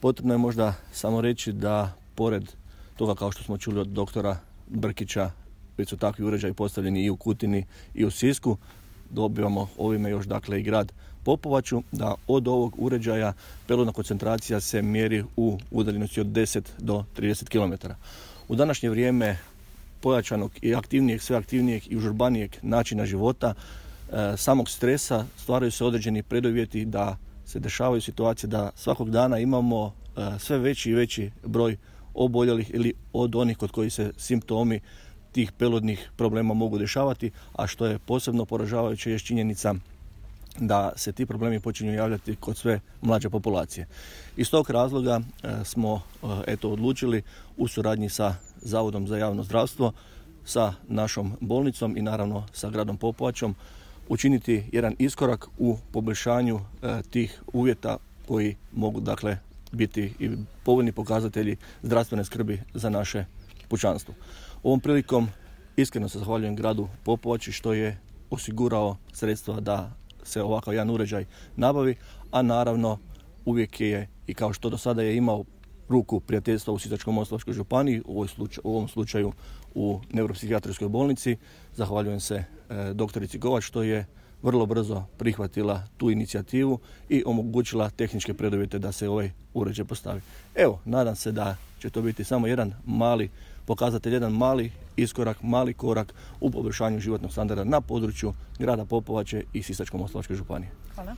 Potrebno je možda samo reći da pored toga, kao što smo čuli od doktora Brkića, već su takvi uređaji postavljeni i u Kutini i u Sisku. Dobivamo ovime još dakle i grad Popovaču, da od ovog uređaja peludna koncentracija se mjeri u udaljenosti od 10 do 30 km. U današnje vrijeme pojačanog i aktivnijeg, sve aktivnijeg i užurbanijeg načina života, samog stresa, stvaraju se određeni preduvjeti da se dešavaju situacije da svakog dana imamo sve veći i veći broj oboljelih ili od onih kod kojih se simptomi tih peludnih problema mogu dešavati, a što je posebno poražavajuće je činjenica da se ti problemi počinju javljati kod sve mlađe populacije. Iz tog razloga smo odlučili u suradnji sa Zavodom za javno zdravstvo, sa našom bolnicom i naravno sa gradom Popovačom učiniti jedan iskorak u poboljšanju tih uvjeta koji mogu dakle biti i povoljni pokazatelji zdravstvene skrbi za naše pučanstvo. Ovom prilikom iskreno se zahvaljujem gradu Popovači što je osigurao sredstva da se ovakav jedan uređaj nabavi, a naravno uvijek je i kao što do sada je imao ruku prijateljstva u Sisačko-moslavačkoj županiji, u ovom slučaju u neuropsihijatrijskoj bolnici. Zahvaljujem se doktorici Kovač što je vrlo brzo prihvatila tu inicijativu i omogućila tehničke preduvjete da se ovaj uređaj postavi. Evo, nadam se da će to biti samo jedan mali pokazatelj, jedan mali iskorak, mali korak u poboljšanju životnog standarda na području grada Popovače i Sisačko-moslavačke županije.